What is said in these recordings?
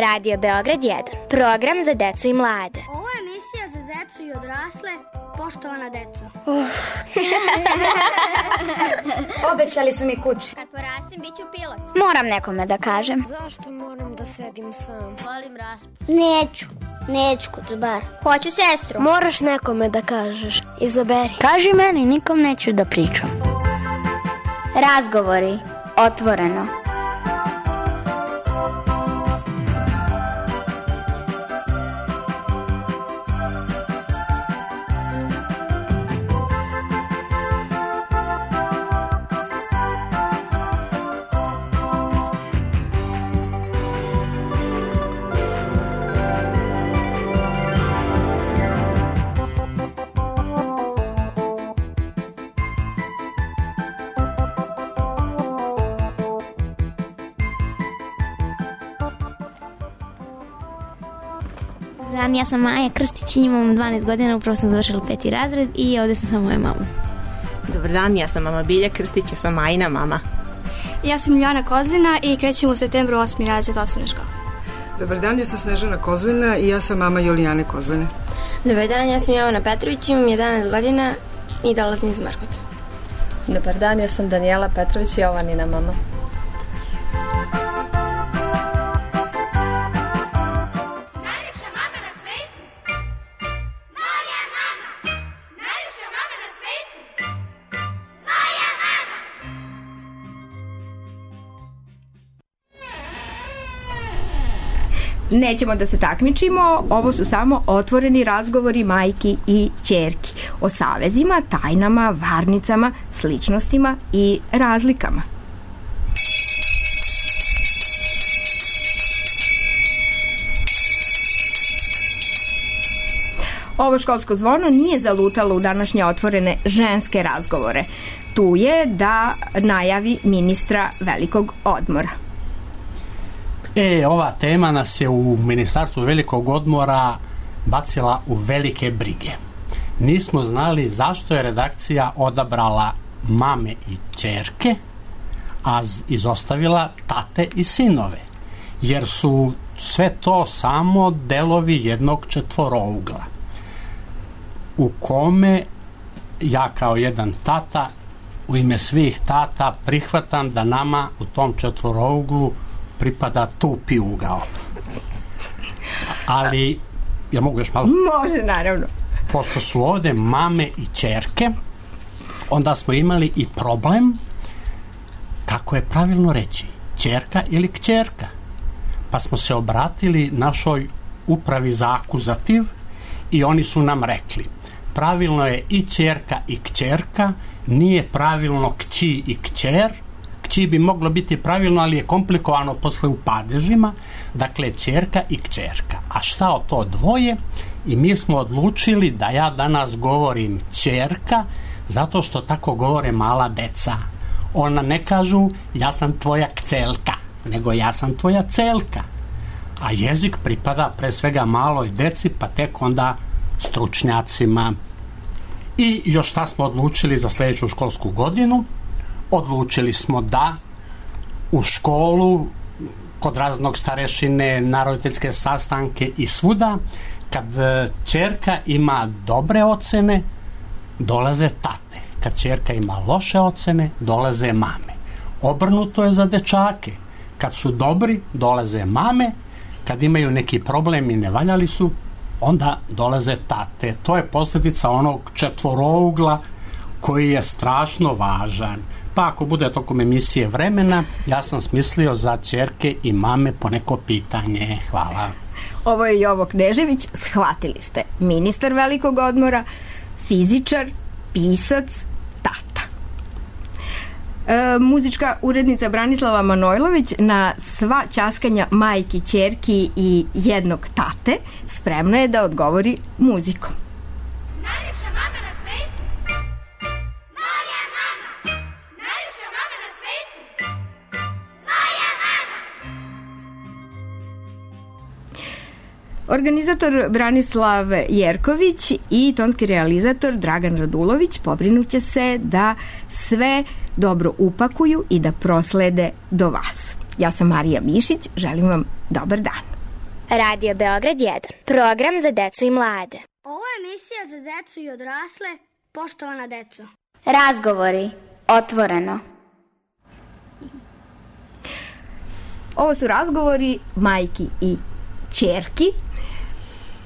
Radio Beograd 1. Program za decu i mlade. Ovo je emisija za decu i odrasle. Poštovana deco. Obećali su mi kuće. Kad porastim, bit ću pilot. Moram nekome da kažem. Zašto moram da sedim sam? Volim raspad. Neću kucubar. Hoću sestru. Moraš nekome da kažeš. Izaberi. Kaži meni, nikom neću da pričam. Razgovori. Otvoreno. Ja sam Maja Krstić, imam 12 godina, upravo sam završila 5. razred i ovdje sam sa mojom mamom. Dobar dan, ja sam mama Bilja Krstić, ja sam Majina mama. Ja sam Miljana Kozlina i krećem u septembru 8. razred osnovne škole. Dobar dan, ja sam Snežana Kozlina i ja sam mama Julijane Kozline. Dobar dan, ja sam Jovana Petrović, imam 11 godina i dolazim iz Markota. Dobar dan, ja sam Danijela Petrović i Jovanina mama. Nećemo da se takmičimo, ovo su samo otvoreni razgovori majki i ćerki o savezima, tajnama, varnicama, sličnostima i razlikama. Ovo školsko zvono nije zalutalo u današnje otvorene ženske razgovore. Tu je da najavi ministra velikog odmora. Ova tema nas je u Ministarstvu velikog odmora bacila u velike brige. Nismo znali zašto je redakcija odabrala mame i ćerke, a izostavila tate i sinove. Jer su sve to samo delovi jednog četvorougla u kome ja kao jedan tata u ime svih tata prihvatam da nama u tom četvorouglu pripada tupi ugao. Ali, ja mogu još malo? Može, naravno. Pošto su ovde mame i ćerke, onda smo imali i problem kako je pravilno reći, ćerka ili kćerka. Pa smo se obratili našoj upravi za akuzativ i oni su nam rekli, pravilno je i ćerka i kćerka, nije pravilno kći i kćer. Kći bi moglo biti pravilno, ali je komplikovano posle u padežima. Dakle, ćerka i kćerka. A šta o to dvoje? I mi smo odlučili da ja danas govorim ćerka, zato što tako govore mala deca. Ona ne kažu ja sam tvoja kcelka, nego ja sam tvoja celka. A jezik pripada pre svega maloj deci, pa tek onda stručnjacima. I još šta smo odlučili za sljedeću školsku godinu? Odlučili smo da u školu, kod raznog starešine, na roditeljske sastanke i svuda, kad ćerka ima dobre ocene, dolaze tate. Kad ćerka ima loše ocene, dolaze mame. Obrnuto je za dečake. Kad su dobri, dolaze mame. Kad imaju neki problem i ne valjali su, onda dolaze tate. To je posljedica onog četvorougla koji je strašno važan. Pa ako bude tokom emisije vremena, ja sam smislio za ćerke i mame po neko pitanje. Hvala. Ovo je Jovo Knežević, shvatili ste. Ministar velikog odmora, fizičar, pisac, tata. Muzička urednica Branislava Manojlović na sva ćaskanja majki, ćerki i jednog tate spremna je da odgovori muzikom. Najljepša mama na svetu. Moja mama. Najljepša mama na svetu. Moja mama. Organizator Branislav Jerković i tonski realizator Dragan Radulović pobrinuće se da sve dobro upakuju i da proslede do vas. Ja sam Marija Mišić, želim vam dobar dan. Radio Beograd 1. Program za decu i mlade. Ovo je emisija za decu i odrasle, poštovana deco. Razgovori. Otvoreno. Ovo su razgovori majki i ćerki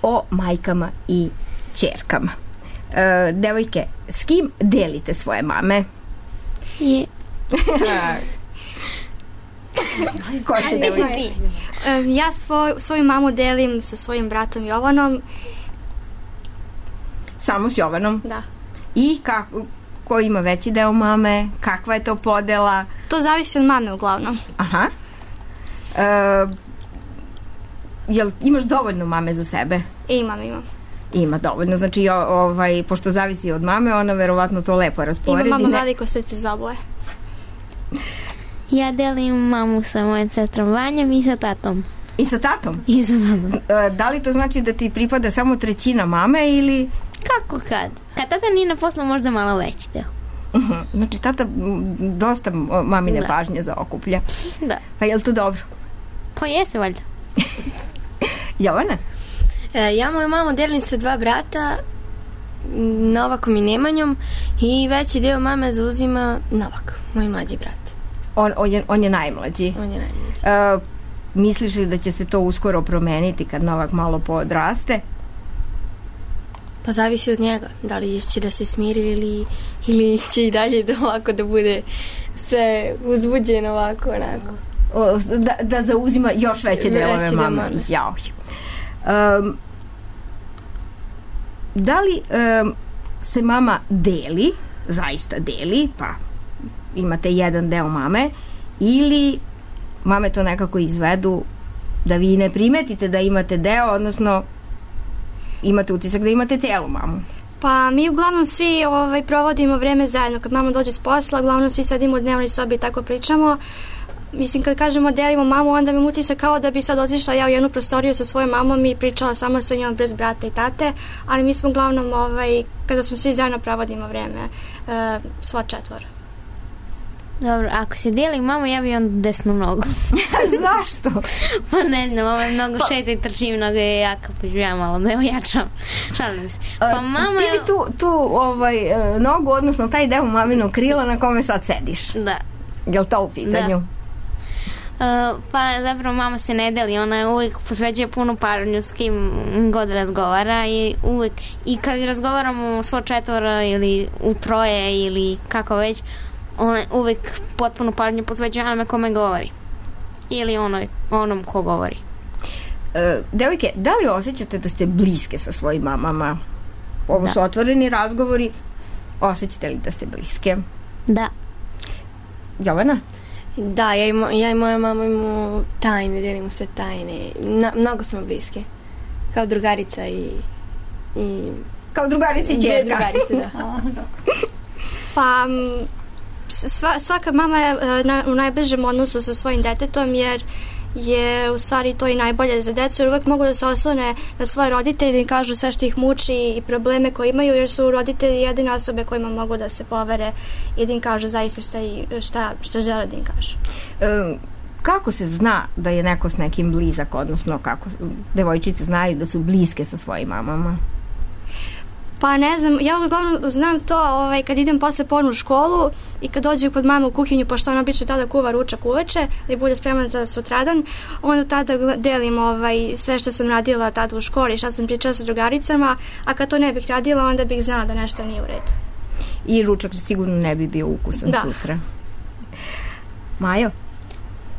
o majkama i ćerkama. Devojke, s kim delite svoje mame? Ko će devojke? Ja svoju mamu delim sa svojim bratom Jovanom. Samo s Jovanom? Da. I ko ima veći deo mame? Kakva je to podela? To zavisi od mame uglavnom. Aha. Jel imaš dovoljno mame za sebe? Imam. Ima dovoljno, znači pošto zavisi od mame, ona verovatno to lepo rasporedi. Ima mama veliko srce za oboje. Ja delim mamu sa mojom sestrom Vanjom i sa tatom. I sa tatom? I sa tatom. Da li to znači da ti pripada samo trećina mame ili... Kako kad? Kad tata nije na poslu, možda malo veći deo. Znači tata dosta mamine pažnje zaokuplja. Da. Pa je li to dobro? Pa jeste valjda. Jovana? Ja moju mamu delim sa 2 brata, Novakom i Nemanjom, i veći deo mame zauzima Novak, moj mlađi brat. On je najmlađi? On je najmlađi. Misliš li da će se to uskoro promeniti kad Novak malo podraste? Pa zavisi od njega. Da li će da se smiri ili će i dalje ovako da bude sve uzbuđeno ovako, onako. Da zauzima još veće delove mame. Jao. Da li se mama deli, zaista deli, pa imate jedan deo mame, ili mame to nekako izvedu da vi ne primetite da imate deo, odnosno imate utisak da imate celu mamu? Pa mi uglavnom svi provodimo vreme zajedno. Kad mama dođe s posla, uglavnom svi sedimo u dnevnoj sobi i tako pričamo. Mislim, kad kažemo delimo mamu, onda mi utisak kao da bi sad otišla ja u jednu prostoriju sa svojom mamom i pričala samo sa njom bez brata i tate, ali mi smo uglavnom, kada smo svi zajedno provodimo vreme, sva 4. Dobro, ako se dijeli mamu, ja bi onda desnu nogu. Zašto? Pa ne znam, mnogo šeta i trči, mnogo je jaka, pa ja malo da je ojačam. Šalim se. Pa mama ti bi tu nogu, odnosno taj deo maminog krila na kome sad sediš. Da. Je li to u pitanju? Pa zapravo mama se ne deli, ona uvijek posveđuje puno pažnju s kim god razgovara i uvijek, i kad razgovaramo svo 4 ili u 3 ili kako već, ona uvijek potpuno pažnju posveđuje onome kome govori ili onom ko govori. Devojke, da li osjećate da ste bliske sa svojim mamama? Ovo su otvoreni razgovori. Osjećate li da ste bliske? Da. Jovana? Da, ja i moja mama imamo tajne, delimo sve tajne. Mnogo smo bliske. Kao drugarica i... Kao drugarica i ćerka. Drugarica, da. Pa... Svaka mama je u najbližem odnosu sa svojim detetom, jer je u stvari to i najbolje za decu, jer uvek mogu da se oslone na svoje roditelje, da im kažu sve što ih muči i probleme koje imaju, jer su roditelji jedine osobe kojima mogu da se povere i da im kažu zaista šta žele da im kažu. Kako se zna da je neko s nekim blizak, odnosno kako devojčice znaju da su bliske sa svojim mamama? Pa ne znam, ja uglavnom znam to kad idem posle pornu u školu i kad dođu kod mama u kuhinju, pošto ona obično tada kuva ručak uveče da bude spremna za sutradan, onda tada delim sve što sam radila tada u školi, šta sam pričala sa drugaricama, a kad to ne bih radila, onda bih znala da nešto nije u redu. I ručak sigurno ne bi bio ukusan sutra. Majo?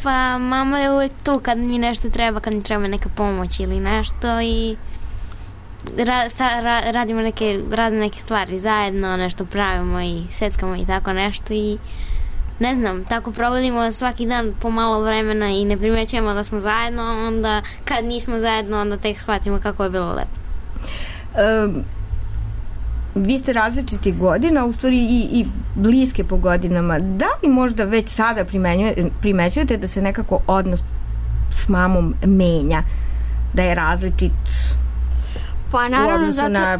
Pa mama je uvijek tu kad mi nešto treba, kad mi treba neka pomoć ili nešto i radimo neke stvari zajedno, nešto pravimo i seckamo i tako nešto i ne znam, tako provodimo svaki dan po malo vremena i ne primećujemo da smo zajedno, onda kad nismo zajedno onda tek shvatimo kako je bilo lepo. Vi ste različitih godina, u stvari i bliske po godinama. Da li možda već sada primećujete da se nekako odnos s mamom menja, da je različit pa, naravno, u odnosu na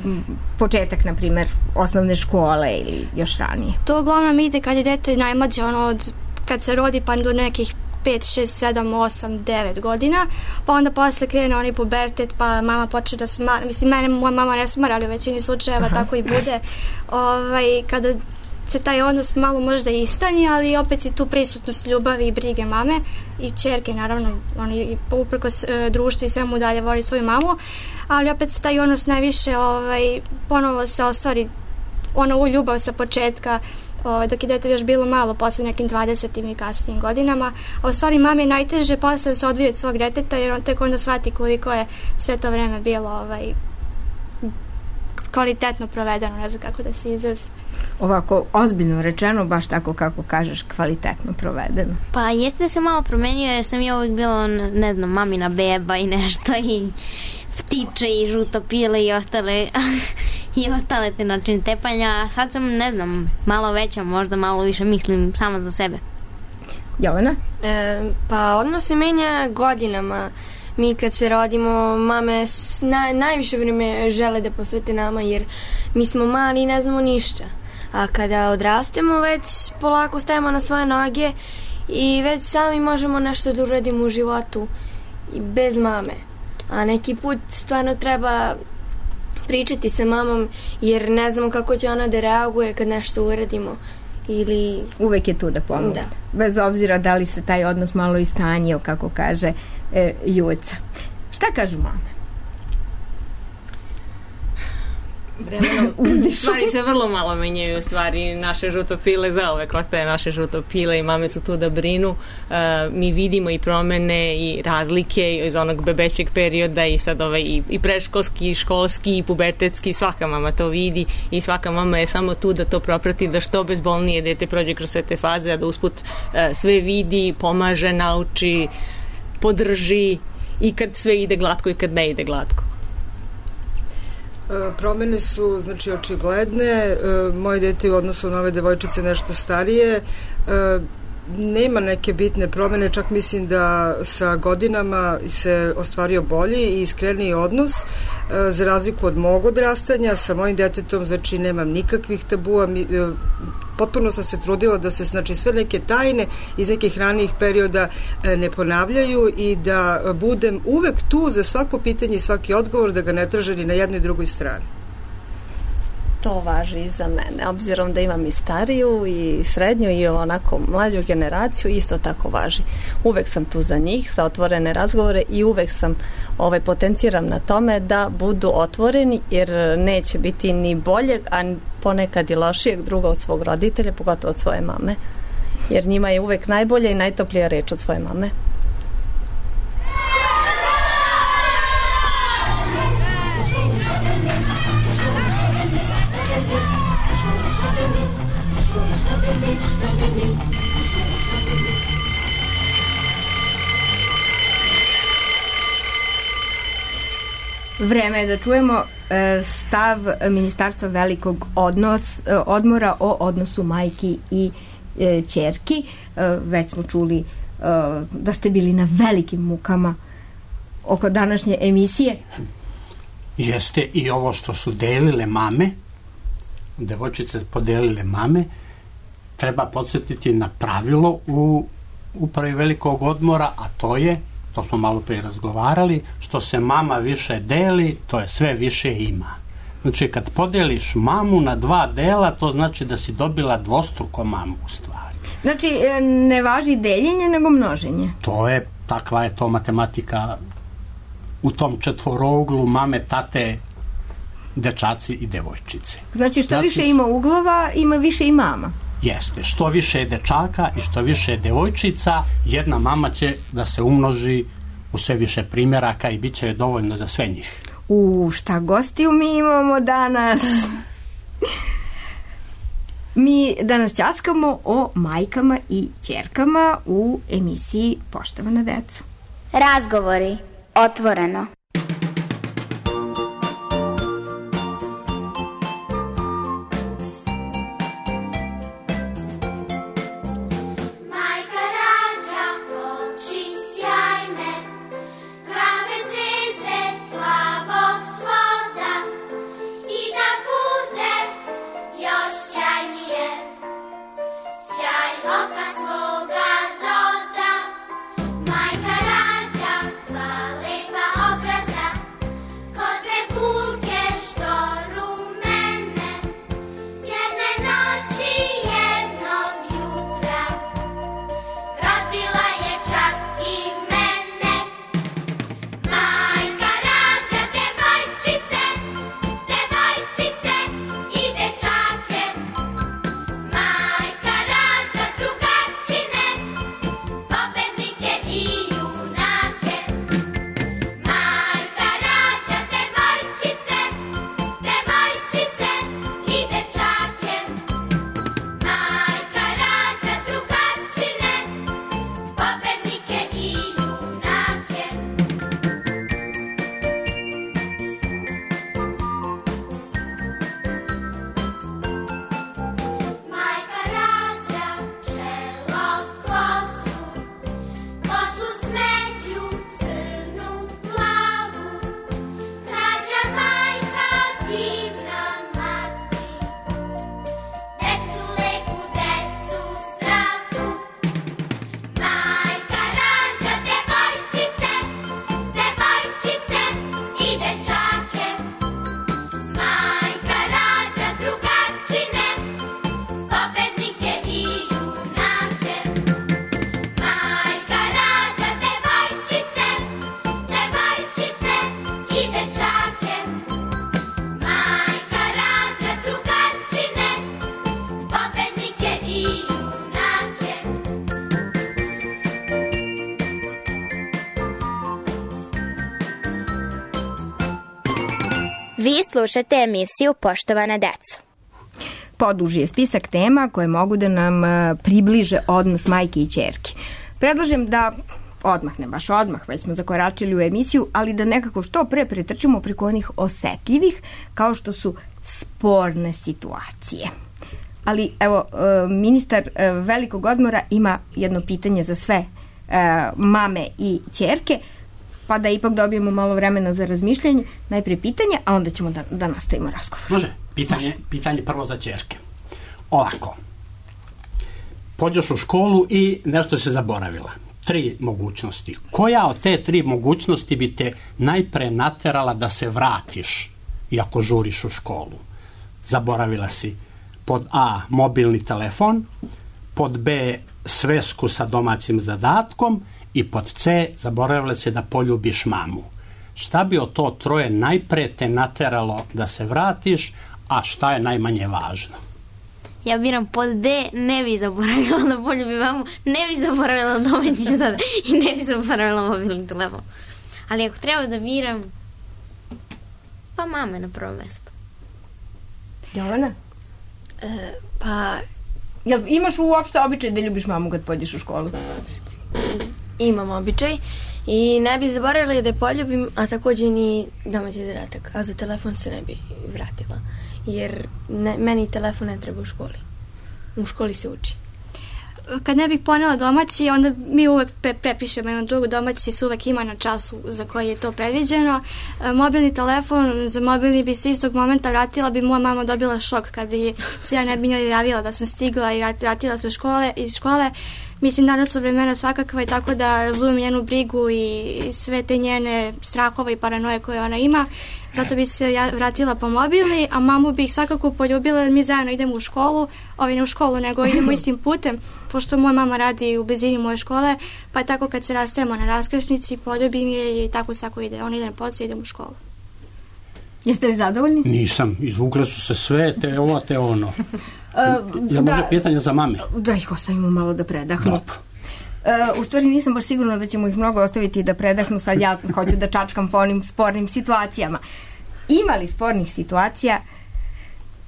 početak, na primjer, osnovne škole ili još ranije? To uglavnom ide kad je dete najmlađe, kad se rodi pa do nekih 5, 6, 7, 8, 9 godina, pa onda posle krene onaj pubertet, pa mama počne da smara, mislim, mene moja mama ne smara, ali u većini slučajeva tako i bude, kada se taj odnos malo možda istanji, ali opet je tu prisutnost ljubavi i brige mame i ćerke, naravno, oni uprkos društvu i svemu dalje voli svoju mamu, ali opet se taj odnos najviše ponovo se ostvari u ljubav sa početka, dok je dete još bilo malo, posle nekim 20. i kasnijim godinama, a u stvari mami je najteže posle da se odvije od svog deteta, jer on tek onda shvati koliko je sve to vreme bilo kvalitetno provedeno, ne znam kako da se izrazi. Ovako, ozbiljno rečeno, baš tako kako kažeš, kvalitetno provedeno. Pa jeste da se malo promenio, jer sam ja uvijek bila, ne znam, mamina beba i nešto, i ptiče i žutopile i ostale te načine tepanja. Sad sam, ne znam, malo veća, možda malo više mislim samo za sebe. Jovana? Pa odnos se menja godinama. Mi kad se rodimo, mame najviše vreme žele da posvete nama, jer mi smo mali i ne znamo ništa. A kada odrastemo, već polako stajemo na svoje noge i već sami možemo nešto da uradimo u životu i bez mame. A neki put stvarno treba pričati sa mamom, jer ne znamo kako će ona da reaguje kad nešto uradimo. Ili... Uvek je tu da pomogne. Bez obzira da li se taj odnos malo istanjio, kako kaže Juca. Šta kažu mame? Vremenom stvari se vrlo malo menjaju, stvari naše žutopile zauvek ostaje naše žutopile i mame su tu da brinu. Mi vidimo i promene i razlike iz onog bebećeg perioda i sad i predškolski, i školski, i pubertetski, svaka mama to vidi i svaka mama je samo tu da to proprati, da što bezbolnije dete prođe kroz sve te faze, a da usput sve vidi, pomaže, nauči, podrži i kad sve ide glatko i kad ne ide glatko. Promene su, znači, očigledne. Moje dete u odnosu na ove devojčice nešto starije. Nema neke bitne promene, čak mislim da sa godinama se ostvario bolji i iskreniji odnos, za razliku od mog odrastanja. Sa mojim detetom, znači, nemam nikakvih tabua, potpuno sam se trudila da se, znači, sve neke tajne iz nekih ranijih perioda ne ponavljaju i da budem uvek tu za svako pitanje i svaki odgovor, da ga ne traže ni na jednoj i drugoj strani. To važi i za mene, obzirom da imam i stariju i srednju i onako mlađu generaciju, isto tako važi. Uvek sam tu za njih, za otvorene razgovore i uvek sam potenciram na tome da budu otvoreni, jer neće biti ni boljeg, a ponekad i lošijeg druga od svog roditelja, pogotovo od svoje mame, jer njima je uvek najbolja i najtoplija reč od svoje mame. Vreme je da čujemo stav Ministarstva velikog odmora o odnosu majki i ćerki. Već smo čuli da ste bili na velikim mukama oko današnje emisije. Jeste, i ovo što su delile mame, devojčice podelile mame, treba podsjetiti na pravilo u upravi velikog odmora, a to smo malo prije razgovarali, što se mama više deli, to je sve više ima. Znači, kad podeliš mamu na 2 dela, to znači da si dobila dvostruko mamu u stvari. Znači, ne važi deljenje, nego množenje. Takva je to matematika u tom četvorouglu mame, tate, dečaci i devojčice. Znači, što više ima uglova, ima više i mama. Jeste, što više je dečaka i što više je devojčica, jedna mama će da se umnoži u sve više primjeraka i bit će dovoljno za sve njih. Šta gostiju mi imamo danas? Mi danas ćaskamo o majkama i ćerkama u emisiji Poštovana deco. Razgovori otvoreno. Vi slušate emisiju Poštovana deco. Poduži je spisak tema koje mogu da nam približe odnos majke i ćerke. Predlažem da odmah, ne baš odmah, već smo zakoračili u emisiju, ali da nekako što pre pretrčimo preko onih osetljivih, kao što su sporne situacije. Ali evo, ministar velikog odmora ima jedno pitanje za sve mame i ćerke, pa da ipak dobijemo malo vremena za razmišljanje. Najprije pitanje, a onda ćemo da nastavimo razgovor. Može, pitanje prvo za ćerke. Ovako, pođeš u školu i nešto se zaboravila. 3 mogućnosti. Koja od te 3 mogućnosti bi te najpre naterala da se vratiš iako žuriš u školu? Zaboravila si pod A mobilni telefon, pod B svesku sa domaćim zadatkom i pod C zaboravila si da poljubiš mamu. Šta bi od to 3 najpre te nateralo da se vratiš, a šta je najmanje važno? Ja biram pod D, ne bi zaboravila da poljubim mamu, ne bi zaboravila domaći zadatak i ne bi zaboravila mobilni telefon. Ali ako treba da biram, pa mame na prvo mesto. Jovana? Pa... Jel imaš uopšte običaj da ljubiš mamu kad pođeš u školu? Imam običaj i ne bi zaboravila da je poljubim, a također ni domaći zadatak, a za telefon se ne bi vratila. Jer meni telefon ne treba u školi. U školi se uči. Kad ne bih ponela domaći, onda mi uvek prepišemo jednu drugu. Domaći se uvek ima na času za koji je to predviđeno. Mobilni telefon, za mobilni bi se istog momenta vratila, bi moja mama dobila šok kad bi se ja ne bi njoj javila da sam stigla i vratila se iz škole. Mislim, danas su vremena svakakva i tako da razumem njenu brigu i sve te njene strahove i paranoje koje ona ima. Zato bi se ja vratila po mobilni, a mamu bih svakako poljubila jer mi zajedno idemo u školu, ne u školu, nego idemo istim putem, pošto moja mama radi u blizini moje škole, pa je tako kad se rastajemo na raskrsnici, poljubim je i tako svako ide. Ona ide na posao i idemo u školu. Jeste li zadovoljni? Nisam, izvukle su se sve, te ovo, te ono. Jel može pitanje za mame? Da ih ostavimo malo da predahnu. Dobro. U stvari nisam baš sigurna da ćemo ih mnogo ostaviti da predahnu, sad ja hoću da čačkam po onim spornim situacijama. Ima li spornih situacija?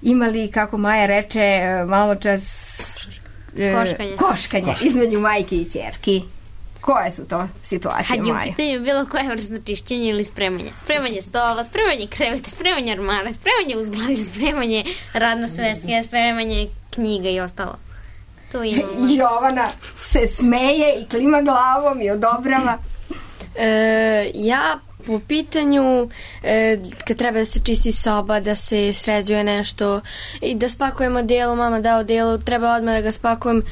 Ima li, kako Maja reče, malo čas koškanje između majke i ćerki? Koje su to situacije, Maja? Kad je u pitanju bilo koje vrste čišćenja ili spremanja. Spremanje stola, spremanje kreveta, spremanje ormara, spremanje uzglavlja, spremanje radne sveske, spremanje knjiga i ostalo. Jovana se smeje i klima glavom i odobrava. Ja po pitanju kad treba da se čisti soba, da se sređuje nešto i da spakujemo delo, mama da odelo, treba odmah da ga spakujem.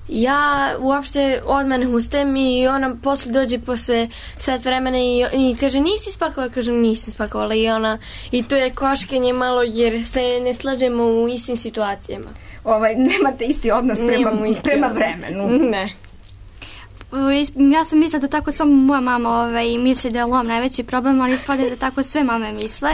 Ja uopšte odmah ne ustajem i ona posle dođe posle sat vremena i kaže nisi spakovala, kažem nisam spakovala i to je koškenje malo jer se ne slažemo u istim situacijama. Nemate isti odnos prema vremenu. Ne. Ja sam mislila da tako samo moja mama misli da je lom najveći problem, ali ispada da tako sve mame misle.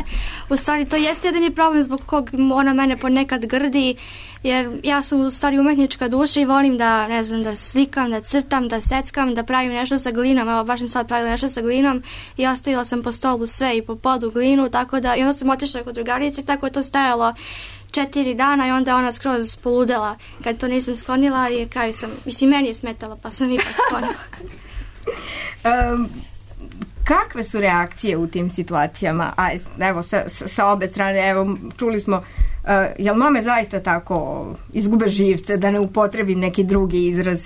U stvari to jeste jedini problem zbog kog ona mene ponekad grdi, jer ja sam u stvari umetnička duša i volim da, ne znam, da slikam, da crtam, da seckam, da pravim nešto sa glinom. Evo, baš sam sad pravila nešto sa glinom i ostavila sam po stolu sve i po podu glinu, tako da, i onda sam otišla kod drugarice, tako je to stajalo 4 dana i onda ona skroz poludela kad to nisam sklonila i kraju sam, meni je smetala pa sam ipak sklonila. Kakve su reakcije u tim situacijama? Evo, sa obe strane, evo, čuli smo, jel mame zaista tako izgube živce, da ne upotrebim neki drugi izraz,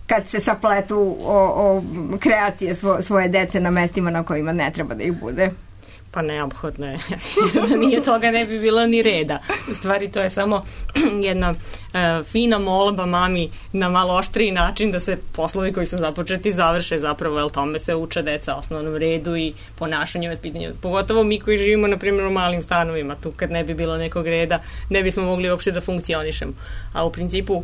kad se sapletu o kreacije svoje dece na mestima na kojima ne treba da ih bude? Pa neophodno je. Da nije toga ne bi bilo ni reda. U stvari to je samo jedna fina molba mami na malo oštriji način da se poslovi koji su započeti završe zapravo, jer tome se uče deca osnovnom redu i ponašanju, vaspitanju. Pogotovo mi koji živimo na primjer u malim stanovima, tu kad ne bi bilo nekog reda ne bismo mogli uopšte da funkcionišemo. A u principu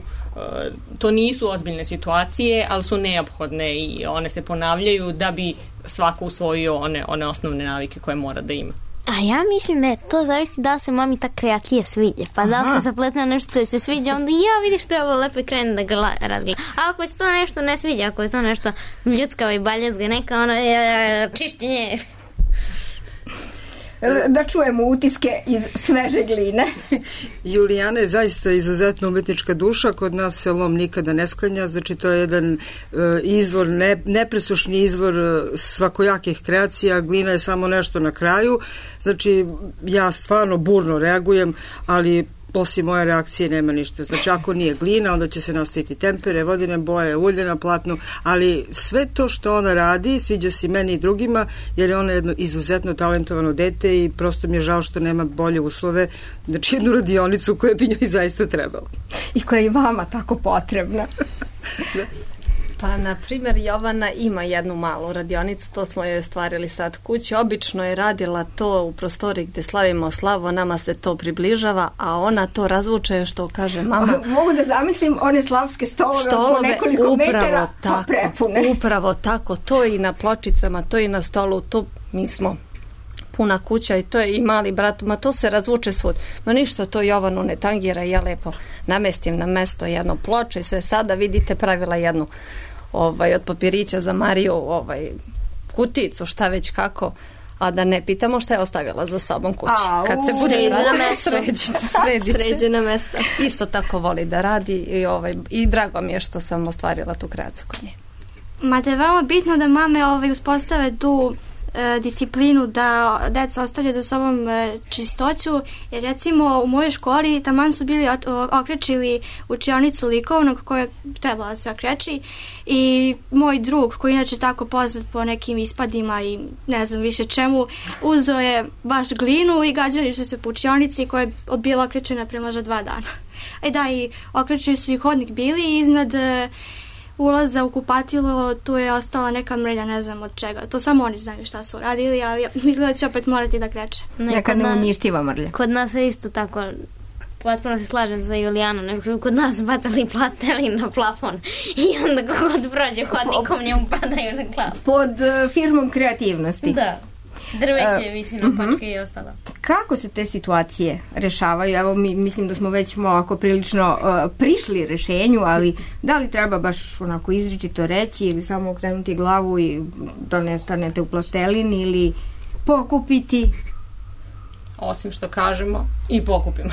to nisu ozbiljne situacije, ali su neophodne i one se ponavljaju da bi svako usvojio one osnovne navike koje mora da ima. A ja mislim da je to zavisi da se mami ta kreacija sviđa. Pa da se zapletne nešto što se sviđa, onda vidiš što je ovo lepo i krene da ga razgleda. A ako se to nešto ne sviđa, ako je to nešto ljudskavo i baljezga, neka čišćenje. da čujemo utiske iz sveže gline. Julijana je zaista izuzetno umetnička duša, kod nas se lom nikada ne sklanja, znači to je jedan izvor, nepresušni izvor svakojakih kreacija, glina je samo nešto na kraju, znači ja stvarno burno reagujem, ali osim moje reakcije nema ništa. Znači, ako nije glina, onda će se nastaviti tempere, vodene boje, ulje na platnu, ali sve to što ona radi, sviđa se meni i drugima, jer je ona jedno izuzetno talentovano dete i prosto mi je žao što nema bolje uslove, znači jednu radionicu koja bi njoj zaista trebala. I koja je i vama tako potrebna. Da. Pa, na primjer, Jovana ima jednu malu radionicu, to smo joj stvarili sad kući. Obično je radila to u prostoriji gdje slavimo slavu, nama se to približava, a ona to razvuče, što kaže mama. Mogu da zamislim one slavske stolove po nekoliko metara, pa prepune. Upravo tako, to i na pločicama, to i na stolu, to mi smo puna kuća i to je i mali brat, ma to se razvuče svud. Ma ništa, to Jovanu ne tangira, ja lepo namestim na mesto jedno ploče i sve. Sada vidite pravila jednu od papirića za Mariju kuticu, šta već kako, a da ne pitamo šta je ostavila za sobom kući. Kad se bude sređena mesta. Isto tako voli da radi i drago mi je što sam ostvarila tu kreaciju kod nje. Ma da je veoma bitno da mame uspostave tu disciplinu da deca ostavlja za sobom čistoću, jer recimo u mojoj školi taman su bili okrečili učionicu likovnog koja je trebala da se okreči i moj drug koji inače tako poznat po nekim ispadima i ne znam više čemu, uzeo je baš glinu i gađali su se po učionici koja je bila okrečena pre možda 2 dana. I okrećili su i hodnik bili i iznad ulaza u kupatilo, tu je ostala neka mrlja, ne znam od čega. To samo oni znaju šta su radili, ali izgleda će opet morati da kreće. Neka neuništiva mrlja. Kod nas je isto tako, potpuno se slažem za Julijanu, nego kod nas bacali plastelin na plafon i onda kogod prođe hodnikom njemu padaju na glavu. Pod firmom kreativnosti. Da. Drveće visi na pačke i ostalo. Kako se te situacije rešavaju? Evo, mislim da smo već ovako prilično prišli rešenju, ali da li treba baš onako izričito reći ili samo okrenuti glavu i da ne stanete u plastelin ili pokupiti? Osim što kažemo i pokupimo.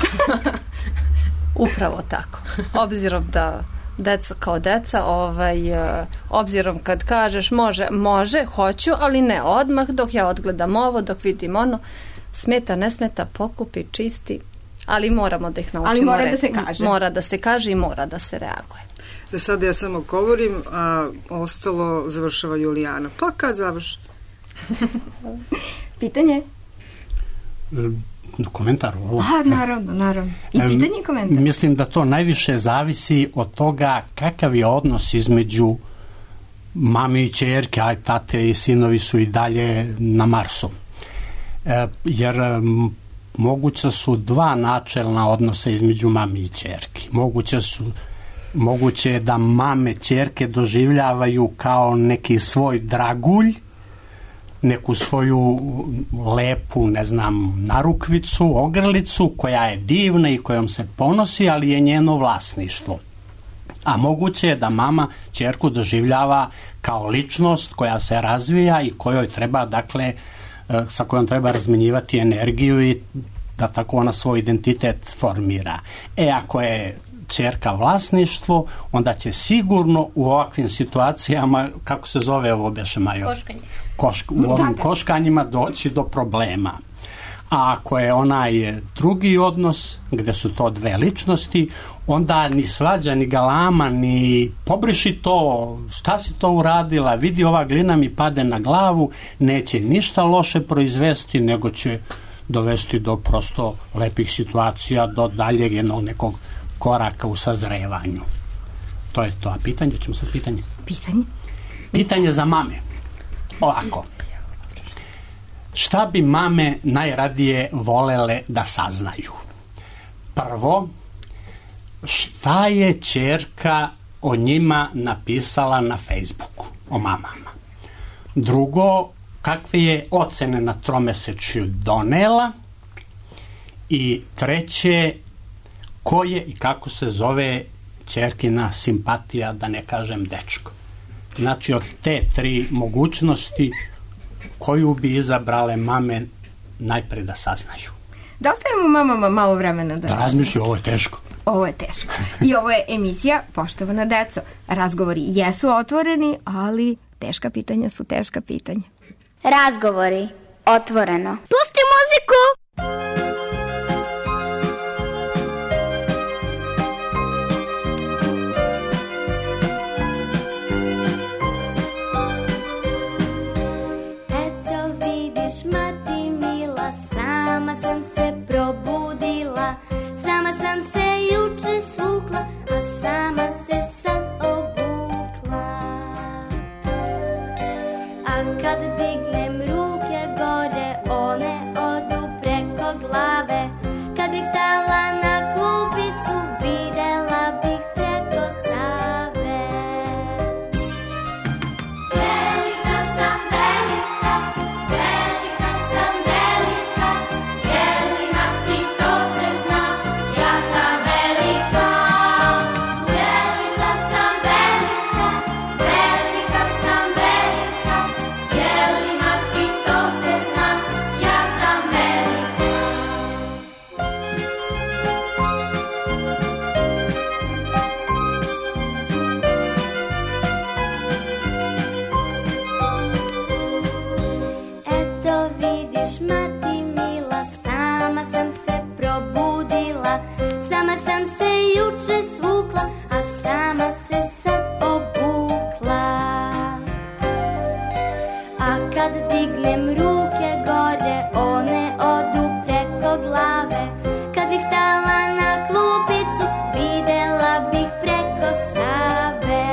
Upravo tako. Obzirom da deca kao deca, obzirom kad kažeš može, hoću, ali ne odmah, dok ja odgledam ovo, dok vidim ono, smeta, ne smeta, pokupi, čisti, ali moramo da ih naučimo. Ali mora da se kaže. Mora da se kaže i mora da se reaguje. Za sada ja samo govorim, a ostalo završava Julijana. Pa kad završi? Pitanje? Komentar ovo. Naravno. I pitanje i komentar. Mislim da to najviše zavisi od toga kakav je odnos između mame i ćerke, a tate i sinovi su i dalje na Marsu. Jer moguće su 2 načelna odnosa između mame i ćerki. Moguće je da mame ćerke doživljavaju kao neki svoj dragulj, neku svoju lepu, ne znam, narukvicu, ogrlicu koja je divna i kojom se ponosi, ali je njeno vlasništvo. A moguće je da mama ćerku doživljava kao ličnost koja se razvija i kojoj treba, dakle, sa kojom treba razmenjivati energiju i da tako ona svoj identitet formira. Ako je ćerka vlasništvo, onda će sigurno u ovakvim situacijama, kako se zove ovo beše, Majo? U ovim koškanjima doći do problema. A ako je onaj drugi odnos, gde su to 2 ličnosti, onda ni svađa, ni galama, ni pobriši to, šta si to uradila, vidi ova glina mi pade na glavu, neće ništa loše proizvesti, nego će dovesti do prosto lepih situacija, do daljeg jednog nekog koraka u sazrevanju. To je to. A pitanje, ćemo sad pitanje? Pitanje za mame. Ovako. Šta bi mame najradije volele da saznaju? Prvo, šta je ćerka o njima napisala na Facebooku, o mamama? Drugo, kakve je ocene na tromesečju donela? I treće, ko je i kako se zove ćerkina simpatija, da ne kažem dečko. Znači, od te 3 mogućnosti, koju bi izabrale mame najpre da saznaju. Da ostavimo mamama malo vremena Da razmišljaju, ovo je teško. Ovo je teško. I ovo je emisija Poštovana deco. Razgovori jesu otvoreni, ali teška pitanja su teška pitanja. Razgovori otvoreno. Pusti muziku! Probudila, sama sam se juče svukla, a sama se sad obukla. A kad dignem ruke gore, one odu preko glave. Kad bih stala na klupicu, videla bih preko Save. Velika sam velika, velika sam velika, jelima ti to se zna, ja sam velika. Velika sam velika, velika sam velika, jelima ti to se zna, ja sam velika. Eto vidiš, mati mila, sama sam se probudila, sama sam se juče svukla, a sama se sad obukla. A kad dignem ruke gore, one odu preko glave. Kad bih stala na klupicu, videla bih preko Save.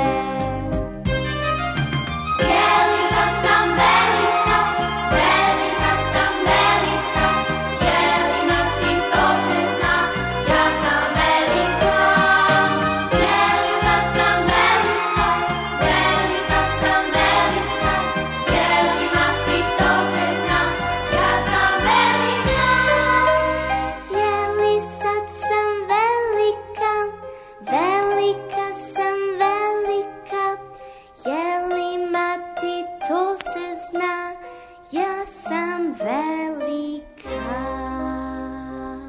Velika sam velika, velika sam velika, jelima ti to se zna, ja sam velika. Velika sam velika, velika sam velika, jelima ti to se zna, ja sam velika. Jeli sad sam velika, velika sam velika, jelima ti to se zna, ja sam velika.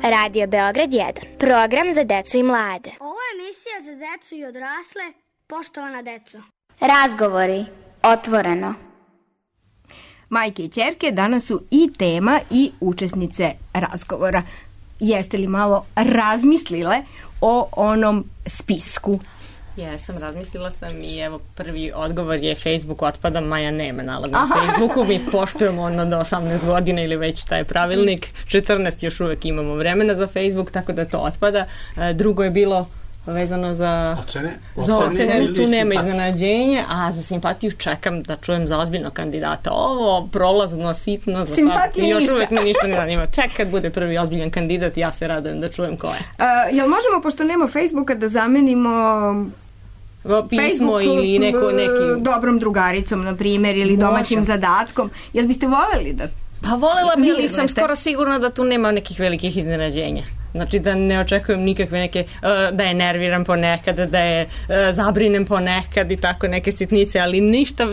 Radio Beograd 1. Program za decu i mlade. Ovo je emisija za decu i odrasle. Poštovana deco. Razgovori otvoreno. Majke i ćerke danas su i tema i učesnice razgovora. Jeste li malo razmislile o onom spisku? Jesam, razmislila sam i evo prvi odgovor je Facebook otpada, Maja nema nalog na Facebooku, mi poštujemo ono do 18 godina ili već taj pravilnik, 14 još uvek imamo vremena za Facebook, tako da to otpada. Drugo je bilo vezano za ocene, tu nema iznenađenja, a za simpatiju čekam da čujem za ozbiljnog kandidata. Ovo prolazno, sitno, za simpatije još uvek me ništa ne zanima. Ček kad bude prvi ozbiljan kandidat, ja se radujem da čujem ko je. Jel možemo, pošto nema Facebooka, da zamenimo pismo Facebook, ili neki dobrom drugaricom, na primjer, ili domaćim zadatkom? Jel biste voljeli da... Pa voljela bi, ali sam skoro sigurna da tu nema nekih velikih iznenađenja. Znači da ne očekujem nikakve neke, da je nerviram ponekad, da je zabrinem ponekad i tako neke sitnice, ali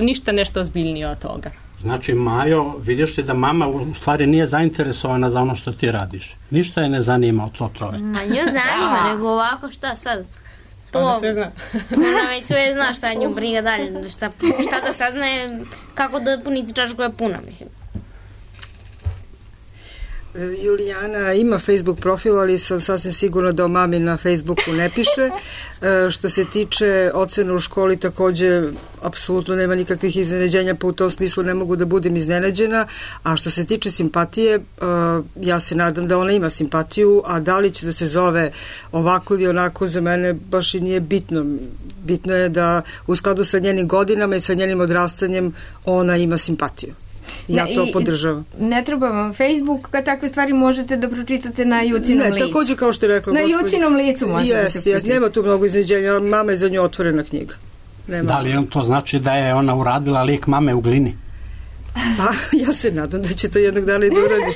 ništa nešto ozbiljnije od toga. Znači, Majo, vidiš ti da mama u stvari nije zainteresovana za ono što ti radiš. Ništa je ne zanima od to troje. Ma nju zanima, nego ovako šta sad? Ona sve zna. Ona već sve zna šta nju briga dalje, šta da saznaje, kako da puniti čašu koja je puna, mislim. Julijana ima Facebook profil, ali sam sasvim sigurna da o mami na Facebooku ne piše. Što se tiče ocena u školi, takođe apsolutno nema nikakvih iznenađenja, pa u tom smislu ne mogu da budem iznenađena. A što se tiče simpatije, ja se nadam da ona ima simpatiju, a da li će da se zove ovako ili onako, za mene baš i nije bitno. Bitno je da u skladu sa njenim godinama i sa njenim odrastanjem ona ima simpatiju. Ja to podržavam. Ne treba vam Facebook, kad takve stvari možete da pročitate na Jucinom licu. Ne, takođe kao što je rekla gospođa. Na Jucinom licu možete da se pročitate. Nema tu mnogo iznenađenja, mama je za nju otvorena knjiga. Nema. Da li to znači da je ona uradila lik mame u glini? Pa, ja se nadam da će to jednog dana i da uradi.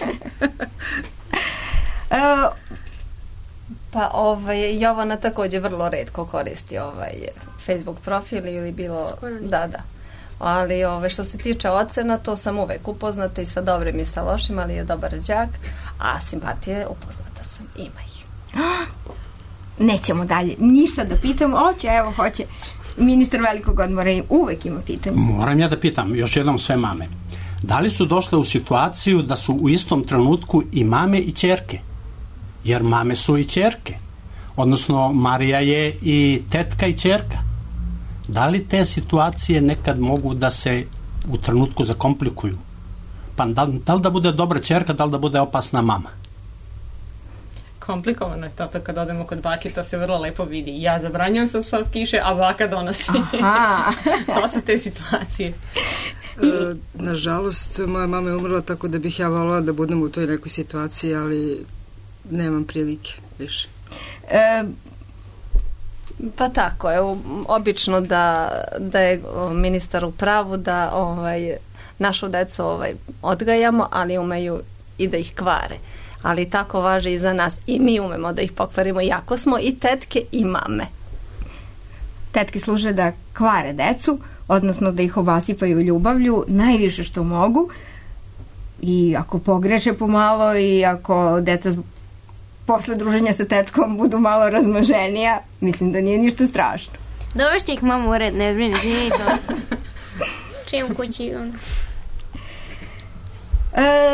Pa Jovana takođe vrlo retko koristi Facebook profil ili bilo, da. Ali što se tiče ocena, to sam uvek upoznata i sa dobrim i sa lošim, ali je dobar đak, a simpatije upoznata sam, ima ih. Nećemo dalje ništa da pitamo, hoće. Ministar velikog odmora uvek ima pitanje. Moram ja da pitam još jednom sve mame. Da li su došle u situaciju da su u istom trenutku i mame i ćerke? Jer mame su i ćerke. Odnosno, Marija je i tetka i ćerka. Da li te situacije nekad mogu da se u trenutku zakomplikuju? Pa da li da bude dobra ćerka, da li da bude opasna mama? Komplikovano je to kad odemo kod bake, to se vrlo lepo vidi. Ja zabranjujem sad slatkiše, a baka donosi. To su te situacije. Nažalost, moja mama je umrla, tako da bih ja voljela da budem u toj nekoj situaciji, ali nemam prilike više. Pa tako, obično da je ministar u pravu da našu decu odgajamo, ali umeju i da ih kvare. Ali tako važi i za nas. I mi umemo da ih pokvarimo, iako smo i tetke i mame. Tetke služe da kvare decu, odnosno da ih obasipaju ljubavlju najviše što mogu, i ako pogreše pomalo i ako deca posle druženja sa tetkom budu malo razmaženija, mislim da nije ništa strašno. Dovešće ih mama u red, ne brini, nije to. Čim kući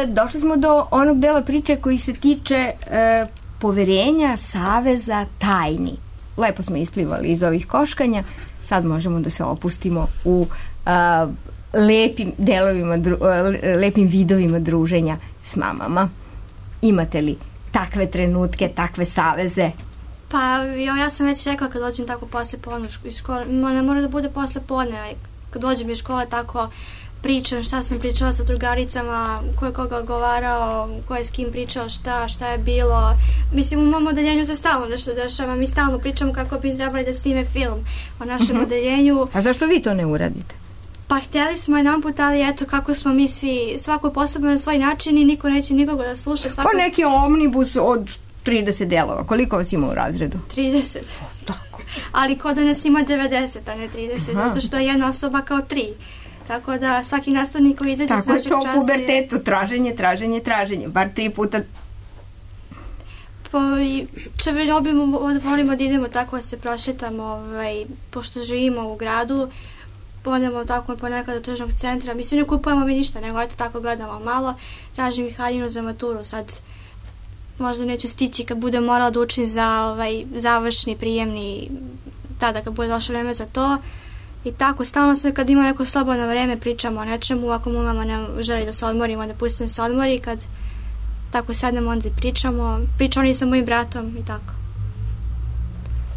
došli smo do onog dela priče koji se tiče poverenja, saveza, tajni. Lepo smo isplivali iz ovih koškanja, sad možemo da se opustimo u lepim vidovima druženja s mamama. Imate li takve trenutke, takve saveze? Pa ja sam već rekla kad dođem tako posle podne iz škole, ne mora da bude posle podne, kad dođem iz škole tako pričam šta sam pričala sa drugaricama, ko je koga govarao, ko je s kim pričao šta je bilo. Mislim, u mom odeljenju se stalno nešto dešava, mi stalno pričamo kako bi trebali da snime film o našem odeljenju. A zašto vi to ne uradite? Pa htjeli smo jedan put, ali eto kako smo mi svi, svako posebno na svoj način i niko neće nikoga da sluša. Pa neki omnibus od 30 delova, koliko vas ima u razredu? 30. Tako. Ali ko da nas ima 90, a ne 30, zato što je jedna osoba kao 3. Tako da svaki nastavnik koji izađe s našeg časa... Tako je to u pubertetu, traženje, bar 3 puta. Volimo da idemo tako da se prošetamo, pošto živimo u gradu, odemo tako ponekad do tržnog centra. Mislim, ne kupujemo mi ništa, nego eto tako gledamo malo. Tražim i haljinu za maturu, sad možda neću stići kad budem morala da učim za završni, prijemni, tada kad bude došlo vreme za to. I tako, stalno se kad ima neko slobodno vreme pričamo o nečemu, ako mu mama ne želi da se odmorimo, da pustimo se odmori, kad tako sednemo onda i pričamo i sa mojim bratom i tako.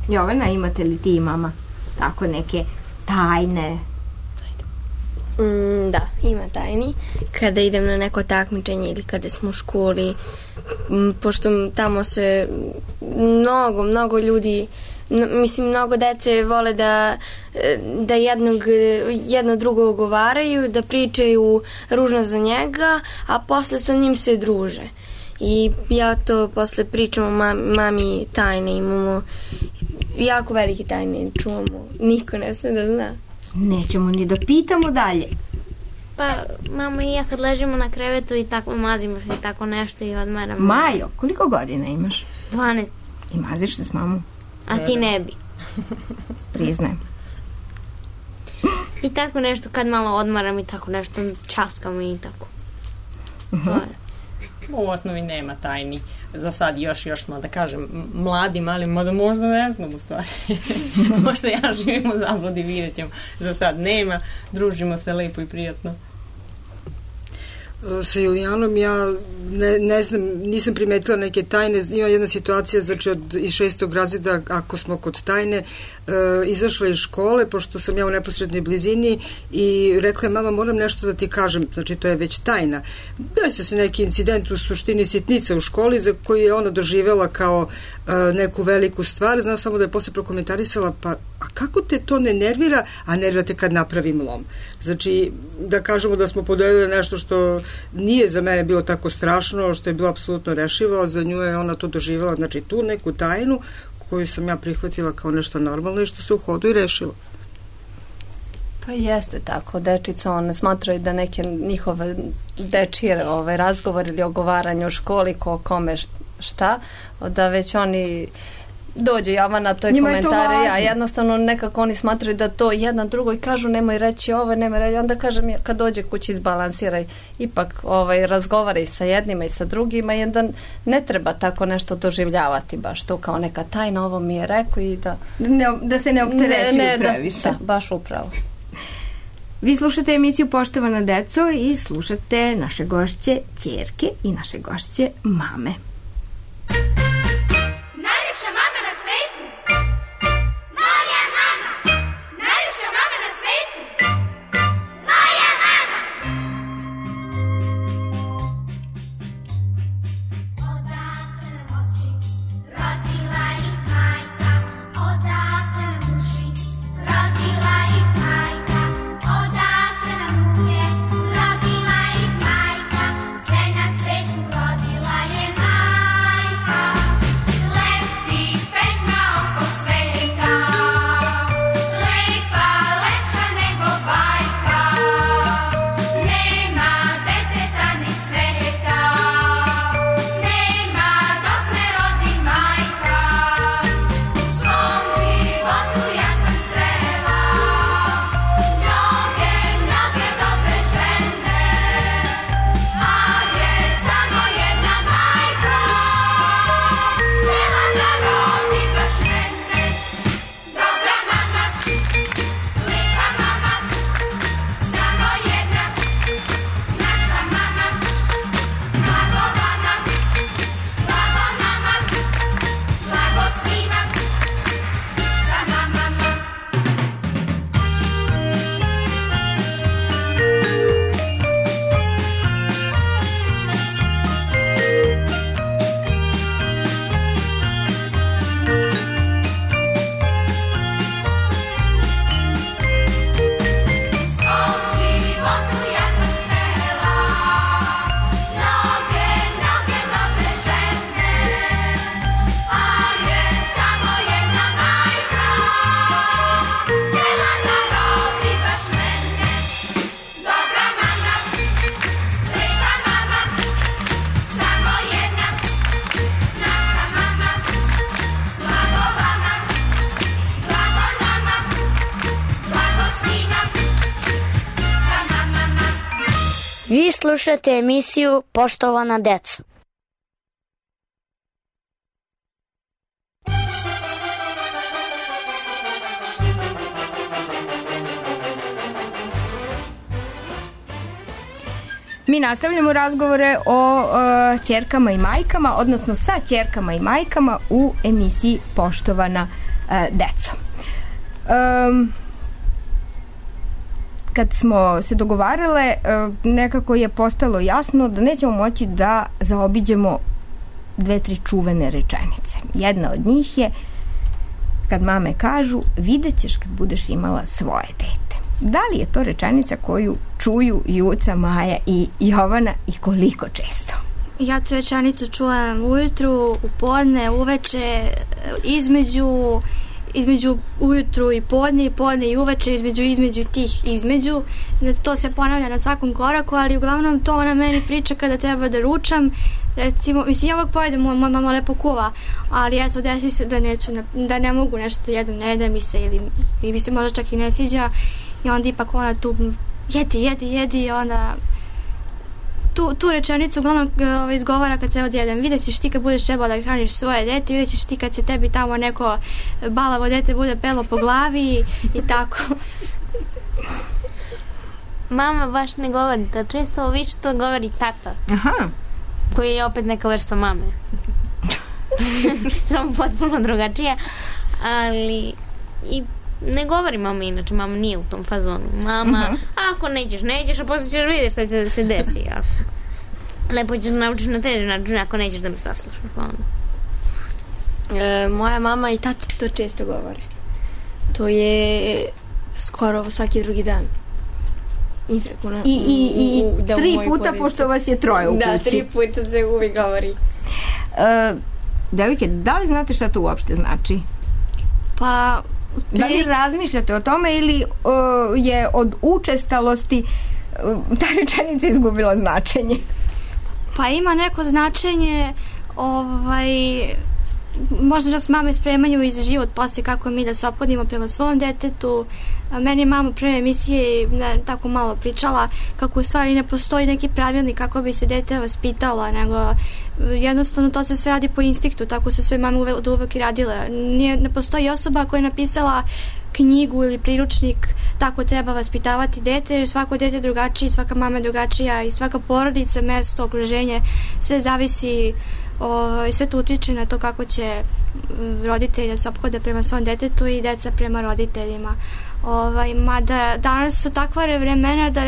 Jovana, imate li ti i mama tako neke tajne? Da, ima tajni. Kada idem na neko takmičenje ili kada smo u školi, pošto tamo se mnogo ljudi, mnogo dece vole da jedno drugo ogovaraju, da pričaju ružno za njega, a posle sa njim se druže. I ja to posle pričam o mami tajne, imamo jako velike tajne, čuvamo, niko ne sme da zna. Nećemo ni da pitamo dalje. Pa, mama i ja kad ležimo na krevetu i tako mazimo se tako nešto i odmaramo. Majo, koliko godina imaš? 12. I maziš se s mamom? A ti ne bi. Priznajem. I tako nešto kad malo odmaram i tako nešto časkam i tako. To je. U osnovi nema tajni. Za sad još smo, da kažem, mladi, mali, možda ne znam u stvari. Možda ja živim u zabludi, vidjet ćemo. Za sad nema, družimo se lepo i prijatno. Sa Julijanom ja ne znam, nisam primetila neke tajne. Ima jedna situacija, znači iz 6. razreda, ako smo kod tajne, izašla iz škole, pošto sam ja u neposrednoj blizini, i rekla je, mama, moram nešto da ti kažem, znači to je već tajna. Desio se neki incident, u suštini sitnica u školi, za koju je ona doživela kao neku veliku stvar. Znam samo da je posle prokomentarisala, pa a kako te to ne nervira, a nervira te kad napravim lom. Znači, da kažemo da smo podelili nešto što nije za mene bilo tako strašno, što je bilo apsolutno rešivo, za nju je ona to doživjela, znači tu neku tajnu koju sam ja prihvatila kao nešto normalno i što se u hodu i rešilo. Pa jeste tako, dečica one smatraju da neke njihove dečije razgovor ili ogovaranje u školi ko kome šta, da već oni dođu Jovana, to je komentare, ja jednostavno nekako oni smatraju da to jedan drugoj kažu nemoj reći ovo, nemoj reći, onda kažem kad dođe kući izbalansiraj, ipak razgovaraj sa jednima i sa drugima i onda ne treba tako nešto doživljavati baš to kao neka tajna, ovo mi je rekao i da se ne opterećuju previše. Da, baš upravo. Vi slušate emisiju Poštovana deco i slušate naše gošće ćerke i naše gošće mame. Najljepša mama na svetu, moja mama. Najljepša mama na svetu, moja mama. Odakle nam oči, rodila ih majka. Odakle nam uši, rodila ih majka. Odakle nam ruke, rodila ih majka. Sve na svetu rodila je majka. Leti pesma oko sveta, lepa, lepša nego bajka. Nema deteta ni cveta, nema dok ne rodi majka. U svom životu ja sam srela mnoge, mnoge dobre žene, ali je samo jedna majka htjela da rodi baš mene. Dobra mama, lijepa mama, samo jedna naša mama. Blago vama, blago nama, blago svima sa mamama. U svom životu ja sam srela mnoge, mnoge dobre žene, ali je samo jedna majka htjela da rodi baš mene. Dobra mama, lijepa mama, samo jedna naša mama. Blago vama, blago nama, blago svima sa mamama. Vi slušate emisiju Poštovana deco. Mi nastavljamo razgovore o ćerkama i majkama, odnosno sa ćerkama i majkama u emisiji Poštovana deco. Kad smo se dogovarale, nekako je postalo jasno da nećemo moći da zaobiđemo 2-3 čuvene rečenice. Jedna od njih je kad mame kažu vidjet ćeš kad budeš imala svoje dete. Da li je to rečenica koju čuju Juca, Maja i Jovana i koliko često? Ja tu rečenicu čujem ujutru, u podne, uveče, između ujutru i podne i uveče, između tih između. To se ponavlja na svakom koraku, ali uglavnom to ona meni priča kada treba da ručam. Recimo, mislim, ja uvijek pojedem, moja mama lepo kuva, ali eto, desi se da ne mogu nešto jedem, ne jede mi se ili mi se možda čak i ne sviđa i onda ipak ona tu jedi i onda tu rečenicu uglavnom izgovara kad treba da jedem. Vidjet ćeš ti kad budeš trebala da hraniš svoje dete, vidjet ćeš ti kad se tebi tamo neko balavo dete bude pelo po glavi i tako. Mama baš ne govori to često, više to govori tata. Aha. Koji je opet neka vrsta mame. Samo potpuno drugačija, ali i ne govori mama inače, mama nije u tom fazonu. Mama, ako nećeš, a posle ćeš vidjeti šta će se desi. Lepo ćeš naučiš na teži način, ako nećeš da me saslušaš. Moja mama i tata to često govore. To je skoro svaki drugi dan. Izrekuna. I 3 puta, pošto vas je 3 u kući. Da, 3 puta se uvijek govori. Devojke, da li znate šta to uopšte znači? Pa, Da li razmišljate o tome ili je od učestalosti ta rečenica izgubila značenje? Pa ima neko značenje, možda nas mame spremaju i za život poslije kako mi da se ophodimo prema svom detetu. Meni je mama pre emisije tako malo pričala kako u stvari ne postoji neki pravilnik kako bi se dete vaspitalo, nego jednostavno to se sve radi po instinktu, tako su sve mame uvek i radile. Ne postoji osoba koja je napisala knjigu ili priručnik tako treba vaspitavati dete, jer svako dete je drugačije, svaka mama je drugačija i svaka porodica, mesto, okruženje, sve zavisi, sve to utiče na to kako će roditelji da se ophode prema svom detetu i deca prema roditeljima. Mada danas su takva vremena da,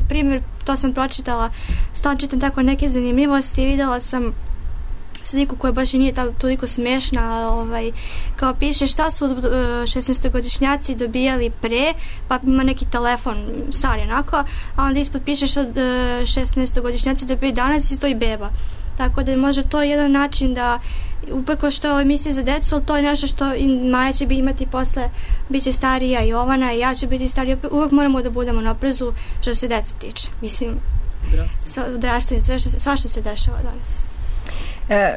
primjer, to sam pročitala, stalno čitam tako neke zanimljivosti, videla sam sliku koja baš i nije toliko smešna, kao piše šta su 16-godišnjaci dobijali pre, pa ima neki telefon stari onako, a onda ispod piše što 16-godišnjaci dobijaju danas i stoji beba. Tako da može to jedan način da, uprko što misli za decu, ali to je nešto što i Maja će imati posle, bit će starija i Jovana i ja ću biti starija, uvek moramo da budemo na oprezu što se deca tiče. Mislim, odrastanje, sva što se dešava danas.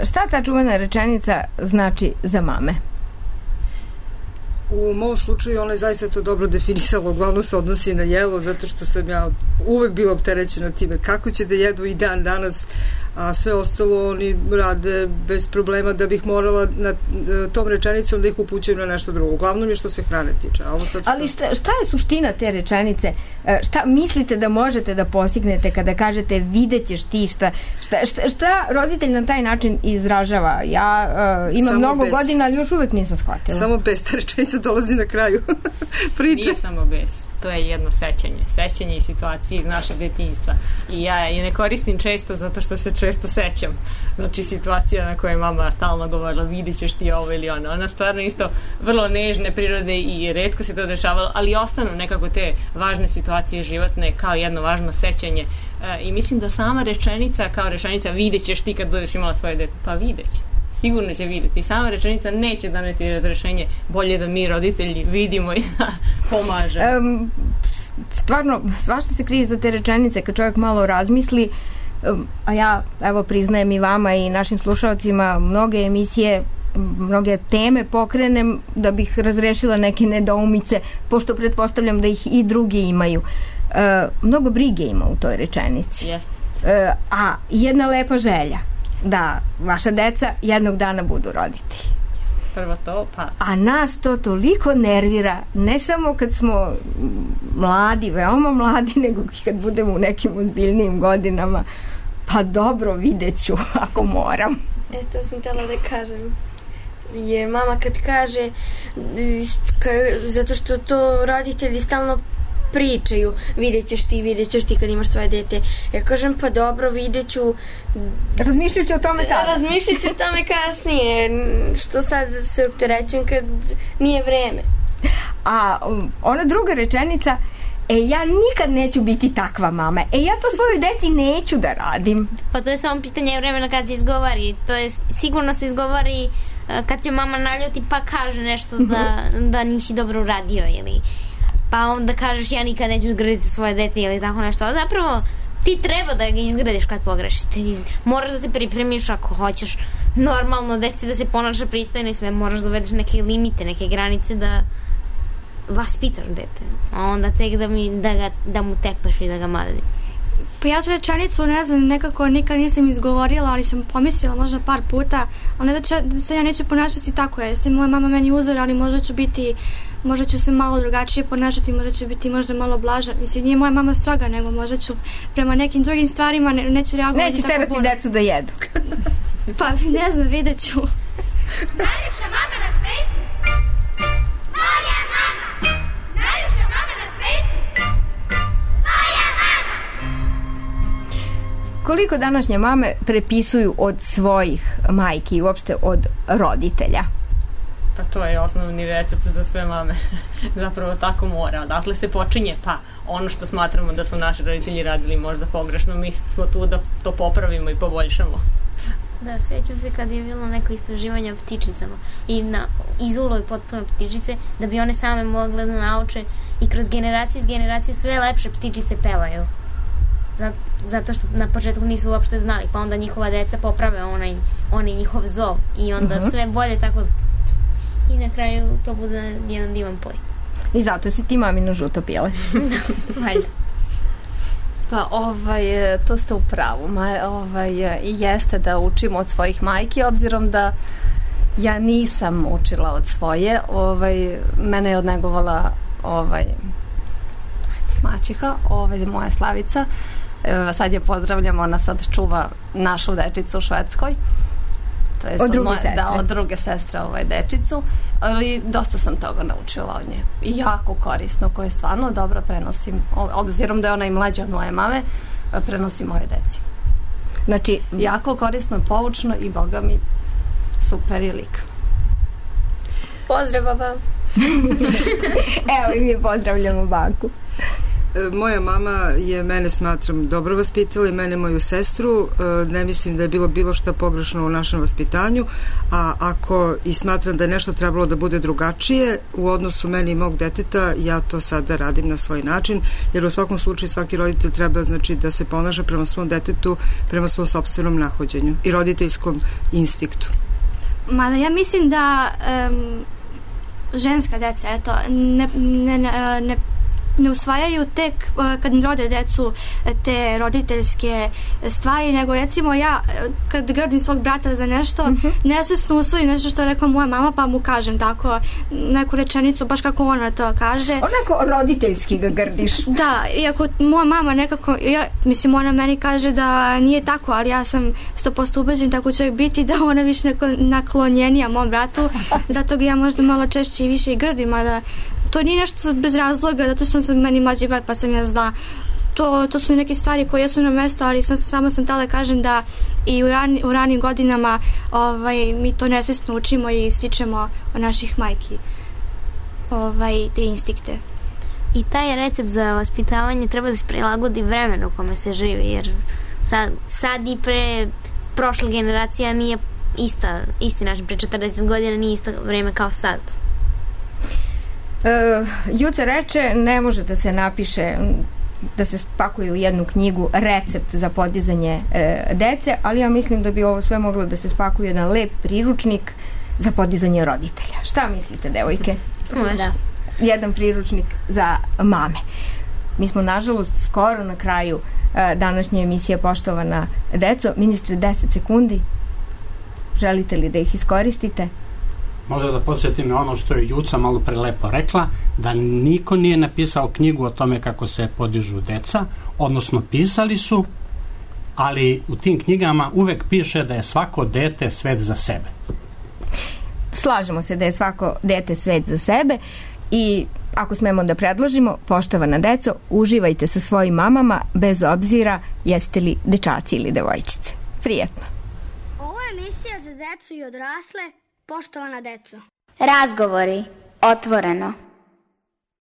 Šta ta čuvena rečenica znači za mame? U mom slučaju ona je zaista to dobro definisala, uglavnom se odnosi na jelo, zato što sam ja uvek bila opterećena time kako će da jedu i dan danas, a sve ostalo oni rade bez problema, da bih morala na tom rečenicom da ih upućujem na nešto drugo. Uglavnom je što se hrane tiče. Ali šta je suština te rečenice? Šta mislite da možete da postignete kada kažete vidjet ćeš ti šta roditelj na taj način izražava? Ja imam mnogo godina, ali još uvek nisam shvatila. Samo bez, ta rečenica dolazi na kraju priče. Nije samo bez. To je jedno sećanje i situacije iz našeg detinjstva. I ja je ne koristim često zato što se često sećam. Znači situacija na kojoj je mama stalno govorila vidit ćeš ti ovo ili ono. Ona stvarno isto vrlo nežne prirode i retko se to dešavalo, ali ostanu nekako te važne situacije životne kao jedno važno sećanje. I mislim da sama rečenica kao rečenica vidjet ćeš ti kad budeš imala svoje dete. Pa vidjet će. Sigurno će vidjeti. I sama rečenica neće doneti razrešenje, bolje da mi roditelji vidimo i da pomažemo. Stvarno, svašta se krije za te rečenice kad čovjek malo razmisli, a ja evo priznajem i vama i našim slušalcima mnoge emisije, mnoge teme pokrenem da bih razrešila neke nedoumice, pošto pretpostavljam da ih i drugi imaju. Mnogo brige ima u toj rečenici. A jedna lepa želja da vaša deca jednog dana budu roditelji. Prvo to, pa... A nas to toliko nervira, ne samo kad smo mladi, veoma mladi, nego i kad budemo u nekim ozbiljnijim godinama. Pa dobro, vidjet ću ako moram. To sam htjela da kažem. Jer mama kad kaže, zato što to roditelji stalno pričaju, vidjet ćeš ti kad imaš tvoje dete. Ja kažem, pa dobro, vidjet ću. Razmišljat ću o tome tada. Razmišljat ću o tome kasnije. Što sad se opterećujem kad nije vreme. A ona druga rečenica, ja nikad neću biti takva mama. Ja to svojoj deci neću da radim. Pa to je samo pitanje vremena kad se izgovori. To je, sigurno se izgovori kad će mama naljuti pa kaže nešto da nisi dobro uradio ili pa onda kažeš ja nikad neću izgraditi svoje dete ili tako nešto. A zapravo ti treba da ga izgradiš kad pogrešiš. Ti moraš da se pripremiš ako hoćeš normalno deci da se ponaša pristojno i sve. Moraš da uvedeš neke limite, neke granice da vaspitaš dete. A onda tek da mu tepaš i da ga mali. Pa ja tu rečenicu, ne znam, nekako nikad nisam izgovorila, ali sam pomislila možda par puta, ali ne da se ja neću ponašati tako. Jeste moja mama meni uzor, ali možda ću se malo drugačije ponašati, možda ću biti možda malo blaža. Mislim, nije moja mama stroga, nego možda ću prema nekim drugim stvarima neću reagovati. Nećeš terati decu da jedu. Pa ne znam, vidjet ću. Najljepša mama na svetu. Moja mama. Najljepša mama na svetu. Moja mama. Koliko današnje mame prepisuju od svojih majki i uopšte od roditelja? Pa to je osnovni recept za sve mame. Zapravo tako mora. Dakle se počinje, pa ono što smatramo da su naši roditelji radili možda pogrešno, mi smo tu da to popravimo i poboljšamo. Da, sjećam se kad je bilo neko istraživanje o ptičicama i izulovi potpuno ptičice da bi one same mogle da nauče i kroz generacije sve lepše ptičice pevaju. Zato što na početku nisu uopšte znali, pa onda njihova deca poprave onaj njihov zov i onda sve bolje tako i na kraju to bude jedan divan poj. I zato si ti mamino žuto pile. Da, valjda. Pa to ste u pravu. I jeste da učimo od svojih majki, obzirom da ja nisam učila od svoje. Mene je odnegovala maćeha, moja Slavica. Sad je pozdravljam, ona sad čuva našu dečicu u Švedskoj. Od druge sestre. Da, od druge sestre dečicu. Ali dosta sam toga naučila od nje. I jako korisno, koje stvarno dobro prenosim. Obzirom da je ona i mlađa od moje mame, prenosim moje deci. Znači, jako korisno, poučno i boga mi super je lik. Pozdrav, baba. Evo i mi pozdravljamo baku. Moja mama je mene, smatram, dobro vaspitala i mene, moju sestru. Ne mislim da je bilo šta pogrešno u našem vaspitanju, a ako i smatram da je nešto trebalo da bude drugačije u odnosu meni i mog deteta, ja to sada radim na svoj način, jer u svakom slučaju svaki roditelj treba, znači, da se ponaša prema svom detetu, prema svom sopstvenom nahođenju i roditeljskom instinktu. Mada ja mislim da ženska deca, eto, ne usvajaju tek kad rode decu te roditeljske stvari, nego recimo ja kad grdim svog brata za nešto, nesvesno usvojim nešto što je rekla moja mama, pa mu kažem tako neku rečenicu baš kako ona to kaže. Onako roditeljski ga grdiš. Da, iako moja mama nekako, mislim, ona meni kaže da nije tako, ali ja sam 100% ubeđen tako će biti, da ona više naklonjenija mom bratu, zato ga ja možda malo češće i više i grdim, a da to nije nešto bez razloga, zato što sam meni mlađi brat, pa sam ja zna. To su neke stvari koje jesu na mesto, ali samo sam htjela da kažem da i u ranim godinama mi to nesvjesno učimo i stičemo od naših majki te instinkte. I taj recept za vaspitavanje treba da se prilagodi vremenu u kome se živi, jer sad i pre prošla generacija nije isti način, pre 40 godina nije isto vreme kao sad. Juca reče, ne može da se napiše, da se spakuje u jednu knjigu recept za podizanje dece, ali ja mislim da bi ovo sve moglo da se spakuje jedan lep priručnik za podizanje roditelja. Šta mislite, devojke? Da. Jedan priručnik za mame. Mi smo, nažalost, skoro na kraju današnje emisije, poštovana deco. Ministre, 10 sekundi. Želite li da ih iskoristite? Možda da podsjetim na ono što je Juca malo pre lepo rekla, da niko nije napisao knjigu o tome kako se podižu deca, odnosno pisali su, ali u tim knjigama uvek piše da je svako dete svet za sebe. Slažemo se da je svako dete svet za sebe i ako smemo da predložimo, poštovana deco, uživajte sa svojim mamama bez obzira jeste li dečaci ili devojčice. Prijetno. Ovo je emisija za decu i odrasle. Poštovana deco. Razgovori otvoreno.